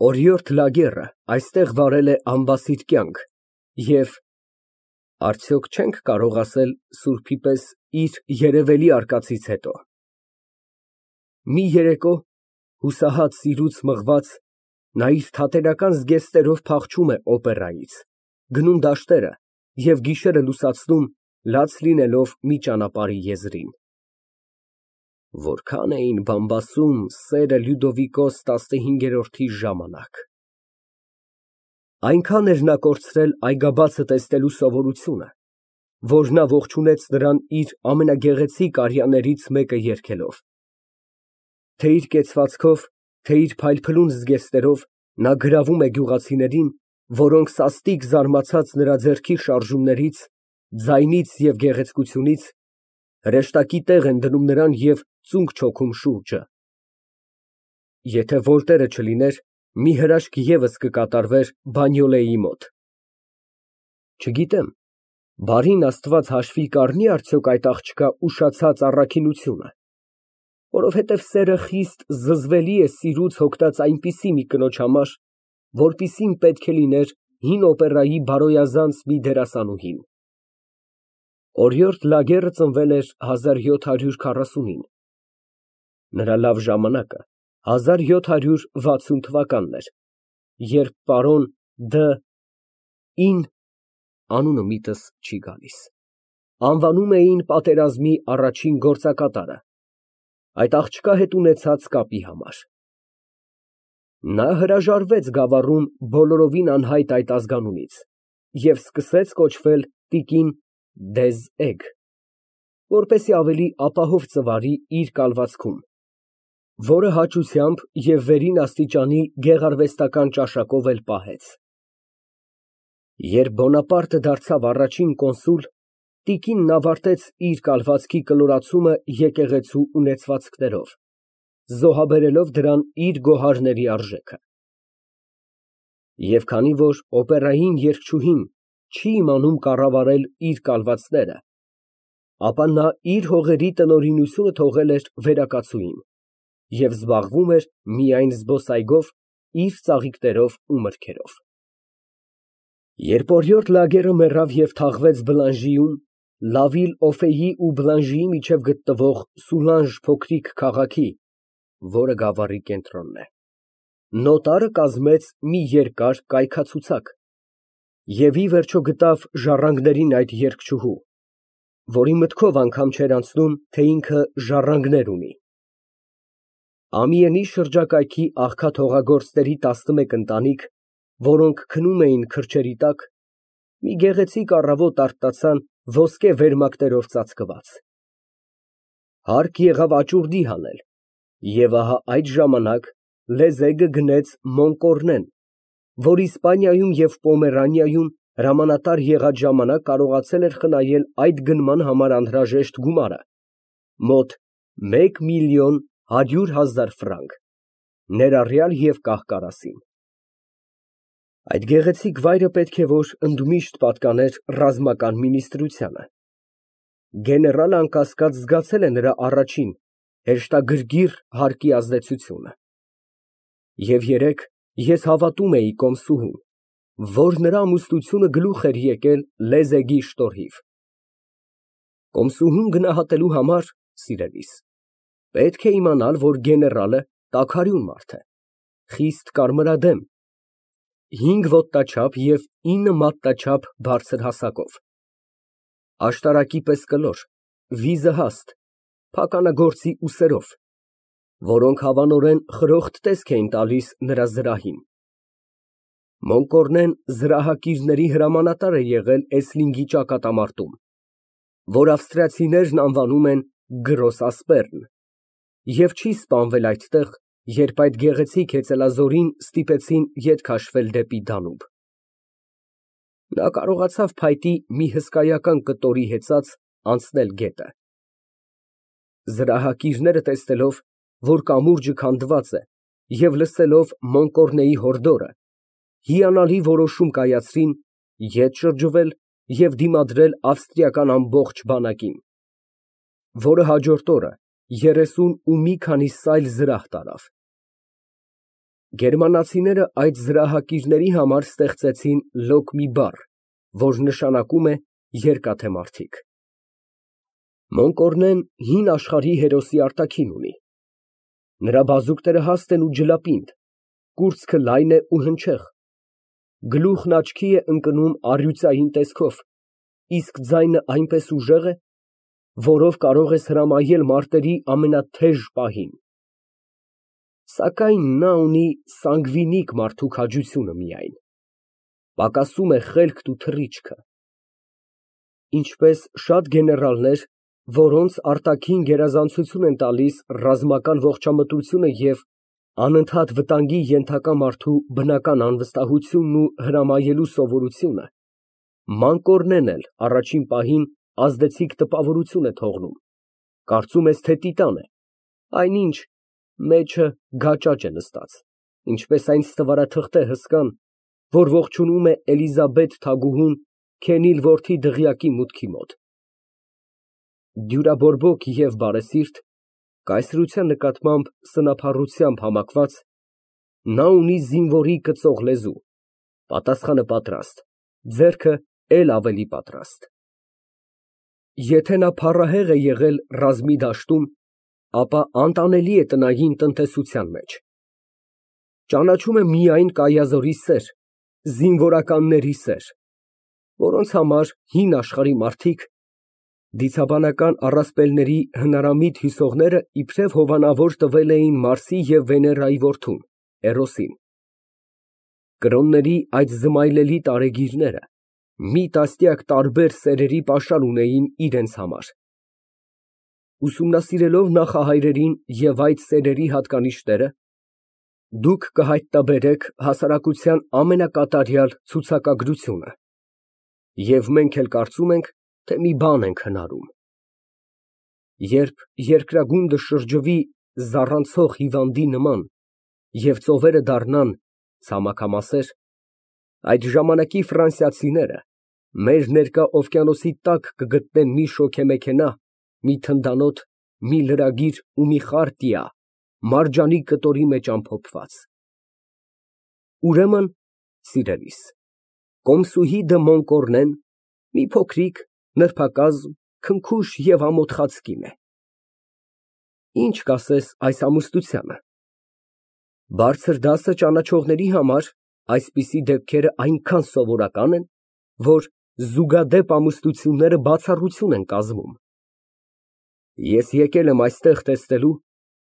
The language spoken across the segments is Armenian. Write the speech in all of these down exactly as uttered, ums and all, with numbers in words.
Օրիորդ Լագեռը այստեղ վարել է անբասիդ կյանք և արդյոք չենք կարող ասել սուրբի պես իր երևելի արկածից հետո, մի երեկո, հուսահատ սիրուց մղված, նա իր թատերական զգեստերով փախչում է օպերայից, գնում դաշտերը և գիշերը լուսացնում, լաց լինելով մի ճանապարհի եզրին։ Որքան էին բամբասում սերը Լյուդովիկոս տասնհինգերորդի ժամանակ… Այնքան էր նա կորցրել այգաբացը տեսնելու սովորությունը, որ նա ողջունեց նրան իր ամենագեղեցիկ արյաներից մեկը երգելով, թե իր կեցվածքով, թե իր փայլփլուն զգեստերով նա գրավում է գյուղացիներին, որոնք սաստիկ զարմացած նրա ձեռքի շարժումներից, ձայնից և գեղեցկությունից, հրեշտակի տեղ են դնում նրան և ծունկ չոքում շուրջը։ Եթե Վոլտերը չլիներ, մի հրաշք ևս կկատարվեր Բանյոլեի մոտ… Չգիտեմ, բարին Աստված հաշվի կառնի՞ արդյոք այդ աղջկա ուշացած առաքինությունը, որովհետև սերը խիստ զզվելի է սիրուց հոգնած այնպիսի մի կնոջ համար, որպիսին պետք է լիներ հին օպերայի բարոյազանց մի դերասանուհին… Օրիորդ Լագեռը ծնվել էր հազար յոթ հարյուր քառասունին, նրա լավ ժամանակը հազար յոթ հարյուր վաթսուն թվականն էր, երբ պարոն Դ… ին (անունը միտս չի գալիս) անվանում էին պատերազմի առաջին գործակատարը, այդ աղջկա հետ ունեցած կապի համար… Նա հրաժարվեց Գավառում բոլորովին անհայտ այդ ազգանունից և սկսեց կոչվել տիկին դեզ Էգ, որպեսզի ավելի ապահով ծվարի իր կալվածքում, որը հաճությամբ և վերին աստիճանի գեղարվեստական ճաշակով էլ պահեց… Երբ Բոնապարտը դարձավ առաջին կոնսուլ, տիկինն ավարտեց իր կալվածքի կլորացումը եկեղեցու ունեցվածքներով, զոհաբերելով դրան իր գոհարների արժեքը… Եվ քանի որ օպերային երգչուհին չի իմանում կառավարել իր կալվածները, ապա նա իր հողերի տնօրինությունը թողել էր վերակացուին և զբաղվում էր միայն զբոսայգով, իր ծաղիկներով ու մրգերով… Երբ օրիորդ Լագեռը մեռավ և թաղվեց Բլանժիում, Լա Վիլ֊Օֆեի ու Բլանժիի միջև գտնվող Սուլանժ փոքրիկ քաղաքի, որը Գավառի կենտրոնն է, նոտարը կազմեց մի երկար կայքացուցակ և ի վերջո գտավ ժառանգներին այդ երգչուհու, որի մտքով անգամ չէր անցնում, թե ինքը ժառանգներ ունի… Ամիենի շրջակայքի աղքատ֊հողագործների տասնմեկ ընտանիք, որոնք քնում էին քրջերի տակ, մի գեղեցիկ առավոտ արթնացան ոսկե վերմակներով ծածկված… Հարկ եղավ աճուրդի հանել, և ահա այդ ժամանակ Լեզեգը գնեց Մոնկորնեն, որ Իսպանիայում և Պոմերանիայում հրամանատար եղած ժամանակ կարողացել էր խնայել այդ գնման համար անհրաժեշտ գումարը, մոտ մեկ միլիոն հարյուր հազար ֆրանկ, ներառյալ և կահ֊կարասին… Այդ գեղեցիկ վայրը պետք է որ ընդմիշտ պատկաներ ռազմական մինիստրությանը… Գեներալը անկասկած զգացել է նրա առաջին, հեշտագրգիռ հարկի ազդեցությունը… Եվ երեկ ես հավատում էի Կոմսուհուն, որ նրա ամուսնությունը գլուխ էր եկել Լեզեգի շտորհիվ… Կոմսուհուն գնահատելու համար, սիրելիս, պետք է իմանալ, որ գեներալը տաքարյուն մարդ է, խիստ կարմրադեմ, հինգ ոտնաչափ և ինը մատնաչափ բարձր հասակով, աշտարակի պես կլոր, վիզը հաստ, փականագործի ուսերով, որոնք հավանորեն խրոխտ տեսք էին տալիս նրա զրահին… Մոնկորնեն զրահակիրների հրամանատար է եղել Էսլինգի ճակատամարտում, որ ավստրիացիներն անվանում են Գրոս Ասպերն, և չի սպանվել այդտեղ, երբ այդ գեղեցիկ հեծելազորին ստիպեցին ետ քաշվել դեպի Դանուբ… Նա կարողացավ փայտի մի հսկայական կտորի հեծած անցնել գետը… Զրահակիրները տեսնելով, որ կամուրջը քանդված է, և լսելով Մոնկորնեի հորդորը, հիանալի որոշում կայացրին ետ շրջվել և դիմադրել ավստրիական ամբողջ բանակին, որը հաջորդ օրը երեսուն ու մի քանի սայլ զրահ տարավ… Գերմանացիները այդ զրահակիրների համար ստեղծեցին լոկ մի բառ, որ նշանակում է երկաթե մարդիկ։ Մոնկորնեն հին աշխարհի հերոսի արտաքին ունի։ Նրա բազուկները հաստ են ու ջլապինդ, կուրծքը լայն է ու հնչեղ, գլուխն աչքի է ընկնում առյուծային տեսքով, իսկ ձայնը այնպես ուժեղ է, որով կարող ես հրամայել մարտերի ամենաթեժ պահին։ Սակայն նա ունի սանգվինիկ մարդու քաջությունը միայն, պակասում է խելքն ու թռիչքը։ Ինչպես շատ գեներալներ, որոնց արտաքին գերազանցություն են տալիս ռազմական ողջամտությունը և անընդհատ վտանգի ենթակա մարդու բնական անվստահությունն ու հրամայելու սովորությունը, Մանկորնեն էլ առաջին պահին ազդեցիկ տպավորություն է թողնում, կարծում ես, թե տիտան է, այնինչ մեջը գաճաճ է նստած, ինչպես այն ստվարաթղթե հսկան, որ ողջունում է Էլիզաբեթ թագուհուն քենիլ որդի դղյակի մուտքի մոտ։ Դյուրաբորբոք և բարեսիրտ, կայսրության նկատմամբ սնափառությամբ համակված, նա ունի զինվորի կծող լեզու, պատասխանը պատրաստ, ձեռքը էլ ավելի պատրաստ։ Եթե նա փառահեղ է եղել ռազմի դաշտում, ապա անտանելի է տնային տնտեսության մեջ։ Ճանաչում է միայն կայազորի սեր, զինվորականների սեր, որոնց համար հին աշխարհի մարդիկ, դիցաբանական առասպելների հնարամիտ հյուսողները իբրև հովանավոր տվել էին Մարսի և Վեներայի որդուն՝ Էրոսին։ Կրոնների այդ զմայլելի տարեգիրները մի տասնյակ տարբեր սերերի պաշար ունեին իրենց համար։ Ուսումնասիրելով նախահայրերին և այդ սերերի հատկանիշները, դուք կհայտնաբերեք հասարակության ամենակատարյալ ցուցակագրությունը, և մենք էլ կարծում ենք, թե մի բան ենք հնարում։ Երբ երկրագունդը շրջվի զառանցող հիվանդի նման և ծովերը դառնան ցամաքամասեր, այդ ժամանակի ֆրանսիացիները մեր ներկա օվկիանոսի տակ կգտնեն մի շոգեմեքենա, մի թնդանոթ, մի լրագիր ու մի խարտիա մարջանի կտորի մեջ ամփոփված։ Ուրեմն, սիրելիս, Կոմսուհի դը Մոնկորնեն մի փոքրիկ, նրբակազմ, քնքուշ և ամոթխած կին է։ Ինչ կասես այս ամուսնությանը։ Բարձր դասը ճանաչողների համար այսպիսի դեպքերը այնքան սովորական են, որ զուգադեպ ամուսնությունները բացառություն են կազմում։ Ես եկել եմ այստեղ տեսնելու,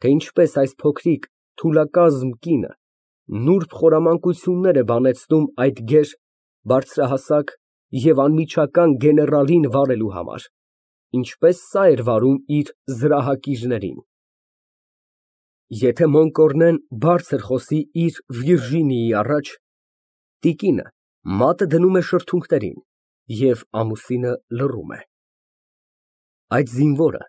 թե ինչպես այս փոքրիկ թուլակազմ կինը նուրբ խորամանկություններ է բանեցնում այդ գեր, բարձրահասակ և անմիջական գեներալին վարելու համար, ինչպես սա էր վարում իր զրահակիրներին։ Եթե Մոնկորնեն բարձր խոսի իր Վիրժինիայի առաջ, տիկինը մատը դնում է շրթունքներին, և ամուսինը լռում է։ Այդ զինվորը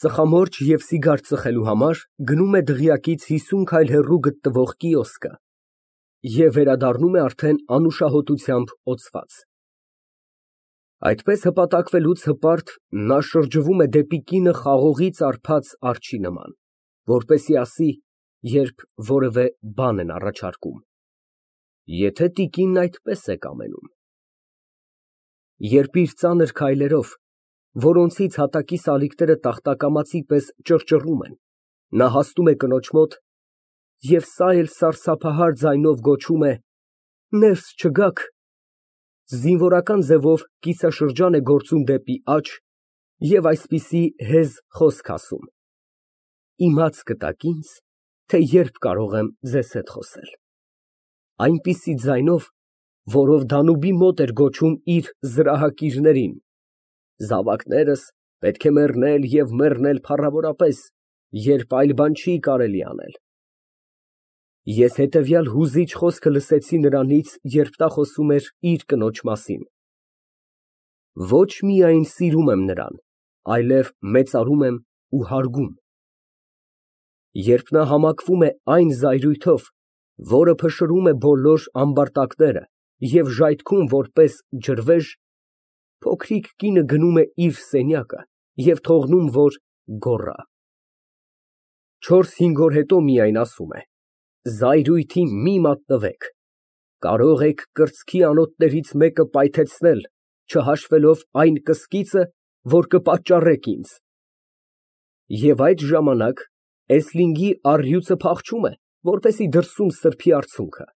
ծխամորճ և սիգար ծխելու համար գնում է դղյակից հիսուն քայլ հեռու գտնվող կիոսկը և վերադառնում է արդեն անուշահոտությամբ օծված։ Այդպես հպատակվելուց հպարտ նա շրջվում է դեպի կինը խաղողից արբած արջի նման, որպեսզի ասի, երբ որևէ բան են առաջարկում, եթե տիկինն այդպես է կամենում։ Երբ իր ծանր քայլերով, որոնցից հատակի սալիկները տախտակամածի պես ճռճռում են, նա հասնում է կնոջ մոտ և սա էլ սարսափահար ձայնով գոչում է. «Ներս չգաք», զինվորական ձևով կիսաշրջան է գործում դեպի աջ և այսպիսի հեզ խոսք ասում. «Իմաց կտաք ինձ, թե երբ կարող եմ ձեզ հետ խոսել», այնպիսի ձայնով, որով Դանուբի մոտ էր գոչում իր զրահակիրներին. «Զավակներս պետք է մեռնել և մեռնել փառավորապես, երբ այլ բան չի կարելի անել»։ Ես հետևյալ հուզիչ խոսքը լսեցի նրանից, երբ նա խոսում էր իր կնոջ մասին. «Ոչ միայն սիրում եմ նրան, այլև մեծարում եմ ու հարգում»։ Երբ նա համակվում է այն զայրույթով, որը փշրում է բոլոր ամբարտակները և ժայթքում որպես ջրվեժ, փոքրիկ կինը գնում է իր սենյակը և թողնում, որ գոռա։ Չորս֊հինգ օր հետո միայն ասում է. Զայրույթին մի մատնվեք, կարող եք կրծքի անոթներից մեկը պայթեցնել, չհաշվելով այն կսկիծը, որ կպատճառեք ինձ։ Եվ այդ ժամանակ էսլինգի առյուծը փախչում է, որպեսզի դրսում սրբի արցունքը։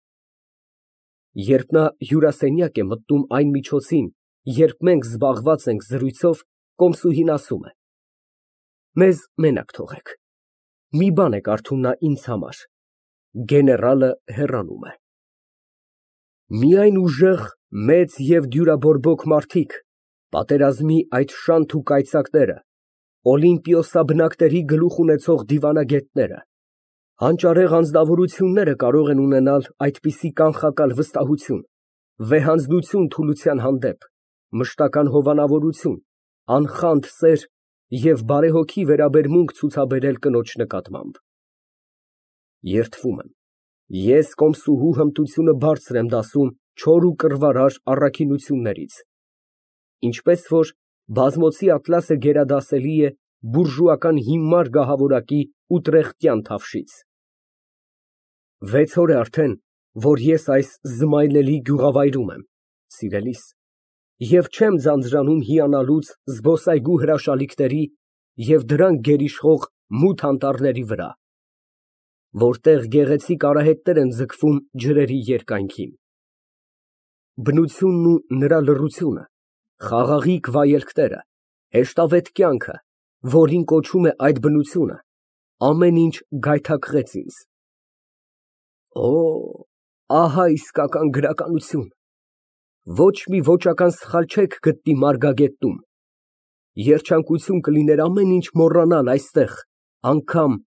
Երբ նա հյուրասենյակ է մտնում այն միջոցին, երբ մենք զբաղված ենք զրույցով, կոմսուհին ասում է. «Մեզ մենակ թողեք, մի բան է կարդում նա ինձ համար»։ Գեներալը հեռանում է։ Միայն ուժեղ, մեծ և դյուրաբորբոք մարդիկ, պատերազմի այդ շանթ ու կայծակները, օլիմպիոսաբնակների գլուխ ունեցող դիվանագետները, հանճարեղ անձնավորությունները կարող են ունենալ այդպիսի կանխակալ վստահություն, վեհանձնություն թուլության հանդեպ, մշտական հովանավորություն, անխանդ սեր և բարեհոգի վերաբերմունք ցուցաբերել կնոջ նկատմամբ։ Երդվում եմ, ես կոմսուհու հմտությունը բարձր եմ դասում չոր ու կռվարար առաքինություններից, ինչպես որ բազմոցի ատլասը գերադասելի է բուրժուական հիմար գահավորակի ուտրեխտյան թավշից։ Վեց օր է արդեն, որ ես այս զմայլելի գյուղավայրում եմ, սիրելիս, և չեմ ձանձրանում հիանալուց զբոսայգու հրաշալիքների և դրանք գերիշխող մութ անտառների վրա, որտեղ գեղեցիկ արահետներ են ձգվում ջրերի երկայնքին։ Բնությունն ու նրա լռությունը, խաղաղիկ վայելքները, հեշտավետ կյանքը, որին կոչում է այդ բնությունը, ամեն ինչ գայթակղեց ինձ։ Օ, ահա իսկական գրականություն, ոչ մի ոճական սխալ չեք գտնի մարգագետնում, երջանկություն կլիներ ամեն ինչ մոռանալ այստեղ, անգամ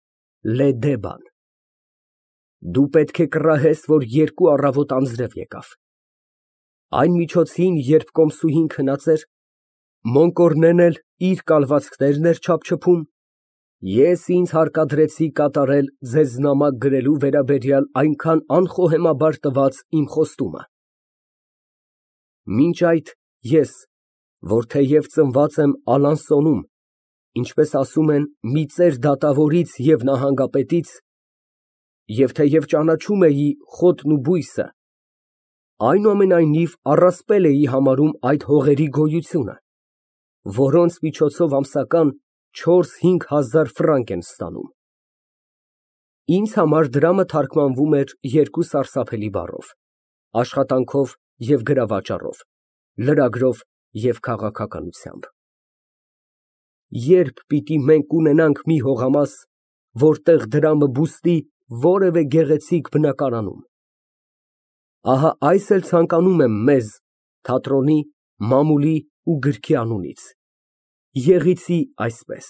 Լեդեբան։ Դու պետք է կռահես, որ երկու առավոտ անձրև եկավ։ Այն միջոցին, երբ կոմսուհին քնած էր, Մոնկորնեն էլ իր կալվածքներն էր չափչփում, ես ինձ հարկադրեցի կատարել ձեզ նամակ գրելու վերաբերյալ այնքան անխոհեմաբար տված իմ խոստումը։ Մինչ այդ ես, որ թեև ծնված եմ Ալանսոնում, ինչպես ասում են, մի ծեր դատավորից և նահանգապետից, և թեև ճանաչում էի խոտն ու բույսը, այնուամենայնիվ առասպել էի համարում այդ հողերի գոյությունը, որոնց միջոցով ամսական չորս֊հինգ հազար ֆրանկ են ստանում։ Ինձ համար դրամը թարգմանվում էր երկու սարսափելի բառով՝ աշխատանքով և գրավաճառով, լրագրով և քաղաքականությամբ։ Ե՞րբ պիտի մենք ունենանք մի հողամաս, որտեղ դրամը բուստի որևէ գեղեցիկ բնակարանում։ Ահա այս էլ ցանկանում եմ մեզ թատրոնի, մամուլի ու գրքի անունից։ Եղեցի այսպես.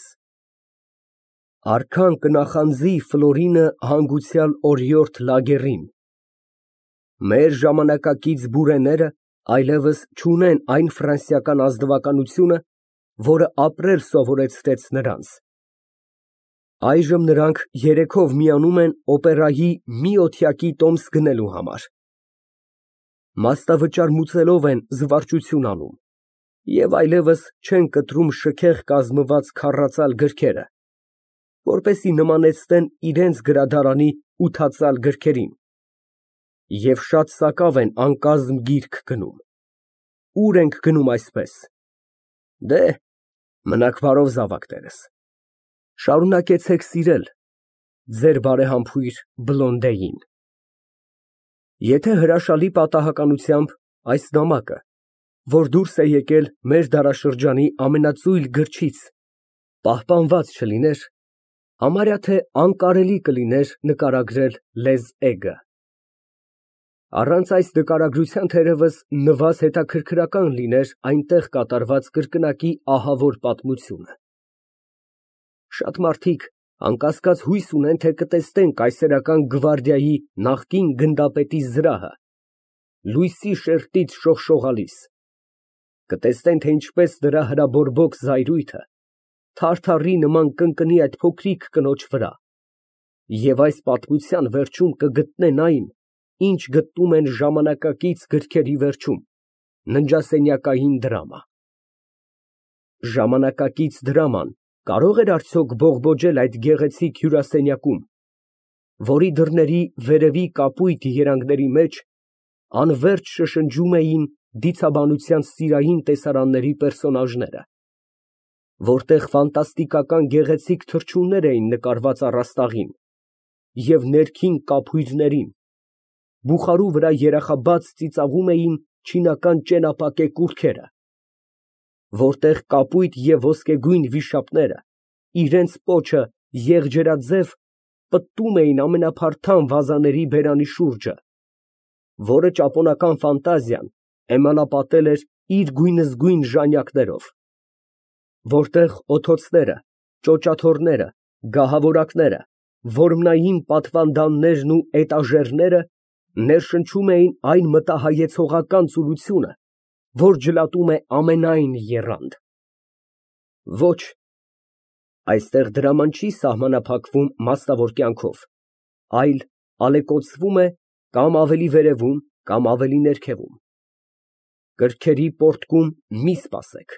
Արքան կնախանձի Ֆլորինը հանգուցյալ օրիորդ Լագերին։ Մեր ժամանակակից բուրեները այլևս չունեն այն ֆրանսիական ազնվականությունը, որը ապրել սովորեցրեց նրանց։ Այժմ նրանք երեքով միանում են օպերայի մի օթյակի տոմս գնելու համար։ Մասնավճար մուծելով են զվարճություն անում և այլևս չեն կտրում շքեղ կազմված քառածալ գրքերը, որպեսզի նմանեցնեն իրենց գրադարանի ութածալ գրքերին, և շատ սակավ են անկազմ գիրք գնում։ Ո՞ւր ենք գնում այսպես։ Դե, մնաք բարով զավակներս, շարունակեցեք սիրել ձեր բարեհամբույր Բլոնդեին։ Եթե հրաշալի պատահականությամբ այս նամակը, որ դուրս է եկել մեր դարաշրջանի ամենածույլ գրչից, պահպանված չլիներ, համարյա թե անկարելի կլիներ նկարագրել լեզ էգը։ Առանց այս նկարագրության թերևս նվազ հետաքրքրական լիներ այնտեղ կատարված կրկնակի ահավոր պատմությունը։ Շատ մարդիկ անկասկած հույս ունեն, թե կտեսնեն կայսերական գվարդիայի նախկին գնդապետի զրահը, լույսի շերտից շողշողալիս, կտեսնեն, թե ինչպես նրա հրաբորբոք զայրույթը թարթարի նման կընկնի այդ փոքրիկ կնոջ վրա, և այս պատմության վերջում կգտնեն այն, ինչ գտնում են ժամանակակից գրքերի վերջում, ննջասենյակային դրամա։ Ժամանակակից դրաման կարո՞ղ էր արդյոք բողբոջել այդ գեղեցիկ հյուրասենյակում, որի դռների վերևի կապույտ երանգների մեջ անվերջ շշնջում էին դիցաբանության սիրային տեսարանների պերսոնաժները, որտեղ ֆանտաստիկական գեղեցիկ թռչուններ էին նկարված առաստաղին և ներքին կափույրներին, բուխարու վրա երախաբաց ծիծաղում էին չինական ճենապակե կուռքերը, որտեղ կապույտ և ոսկեգույն վիշապները իրենց պոչը եղջերաձև պտտում էին ամենափարթամ վազաների բերանի շուրջը, որը ճապոնական ֆանտազիան էմանապատել էր իր գույնզգույն ժանյակներով, որտեղ օթոցները, ճոճաթոռները, գահավորակները, որմնային պատվանդաններն ու էտաժերները ներշնչում էին այն մտահայեցողական ծուլությունը, որ ջլատում է ամենայն եռանդ։ Ոչ, այստեղ դրաման չի սահմանափակվում մասնավոր կյանքով, այլ ալեկոծվում է կամ ավելի վերևում, կամ ավելի ներքևում։ Կրքերի պոռթկում մի սպասեք,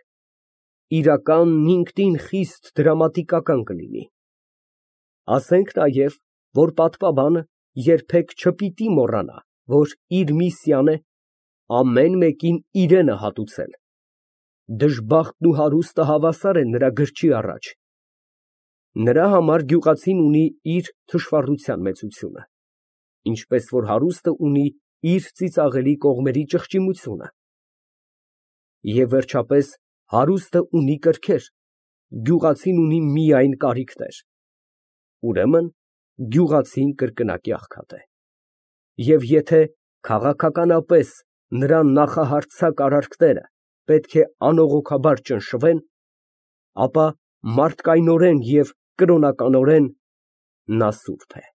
իրականն ինքնին խիստ դրամատիկական կլինի։ Ասենք նաև, որ պատվաբանը երբեք չպիտի մոռանա, որ իր միսիան է ամեն մեկին իրենը հատուցել, դժբախտն ու հարուստը հավասար են նրա գրչի առաջ, նրա համար գյուղացին ունի իր թշվառության մեծությունը, ինչպես որ հարուստը ունի իր ծիծաղելի կողմերի ճղճիմությունը, և վերջապես հարուստը ունի կրքեր, գյուղացին ունի միայն կարիքներ, ուրեմն գյուղացին կրկնակի աղքատ է, և եթե քաղաքականապես նրա նախահարձակ արարքները պետք է անողոքաբար ճնշվեն, ապա մարդկայնորեն և կրոնականորեն նա սուրբ է։